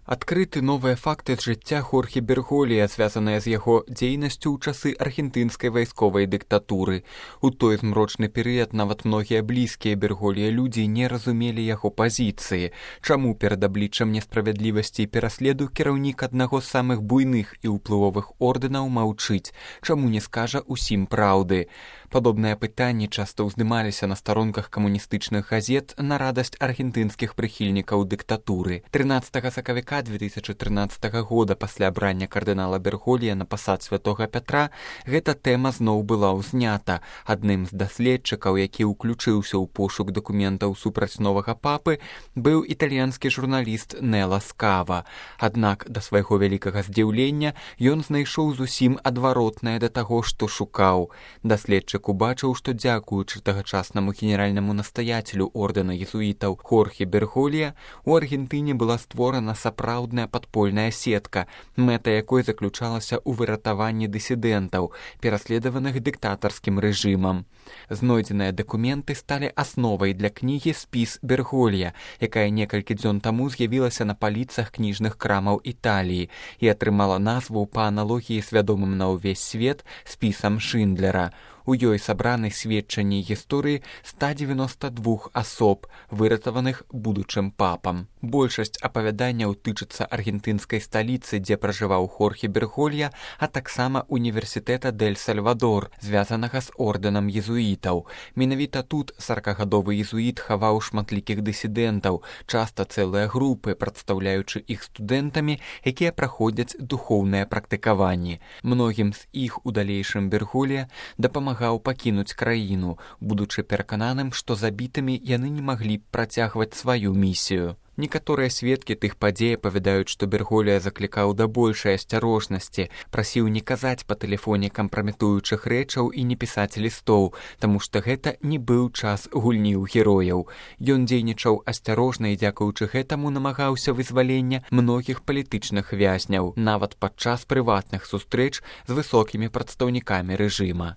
Адкрыты новыя факты з жыцця Хорхе Берголья, звязаныя з яго дзейнасцю ў часы аргентынскай вайсковай дыктатуры. У той змрочны перыяд нават многія блізкія Берголья людзі не разумелі яго пазіцыі. Чаму перад абліччам несправядлівасці і пераследу кіраўнік аднаго з самых буйных і ўплывовых ордэнаў маўчыць? Чаму не скажа ўсім праўды? Падобныя пытанні часта ўздымаліся на старонках камуністычных газет на радасць аргентынскіх прыхільнікаў дыктатуры. 13 сакавіка 2013 года пасля абрання кардынала Берголья на пасад святога Пятра гэта тэма зноў была ўзнята. Адным з даследчыкаў, які ўключыўся ў пошук дакументаў супраць новага папы, быў італьянскі журналіст Нела Скава. Аднак да свайго вялікага здзіўлення ён знайшоў зусім адваротнае да таго, што шукаў. Даследчык убачыў, што дзякуючы тагачаснаму генеральнаму настаяцелю ордэна езуітаў Хорхе Берголья у Аргентыне была створана сапраўдная падпольная сетка, мэта якой заключалася ў выратаванні дысідэнтаў, пераследаваных дыктатарскім рэжымам. Знойдзеныя дакументы сталі асновай для кнігі «Спіс Берголья», якая некалькі дзён таму з'явілася на паліцах кніжных крамаў Італіі і атрымала назву па аналогіі з вядомым на ўвесь свет спісам Шиндлера. У ёй сабраны сведчанні гісторыі 192 асоб, выратаваных будучым папам. Большасць апавяданняў тычыцца аргентынскай сталіцы, дзе пражываў Хорхе Берголья, а таксама універсітэта Дэль-Сальвадор, звязанага з ордэнам езуітаў. Менавіта тут 40-гадовы езуіт хаваў шматлікіх дысідэнтаў, часта цэлыя групы, прадстаўляючы іх студэнтамі, якія праходзяць духоўныя практыкаванні. Многім з іх у далейшым Берголья дапамагаў пакінуць краіну, будучы перакананым, што забітымі яны не маглі б працягваць сваю місію. Некаторыя сведкі тых падзей апавядаюць, што Берголья заклікаў да большай асцярожнасці, прасіў не казаць па тэлефоне кампраметуючых рэчаў і не пісаць лістоў, таму што гэта не быў час гульні ў герояў. Ён дзейнічаў асцярожна і дзякуючы гэтаму намагаўся вызвалення многіх палітычных вязняў, нават падчас прыватных сустрэч з высокімі прадстаўнікамі рэжыма.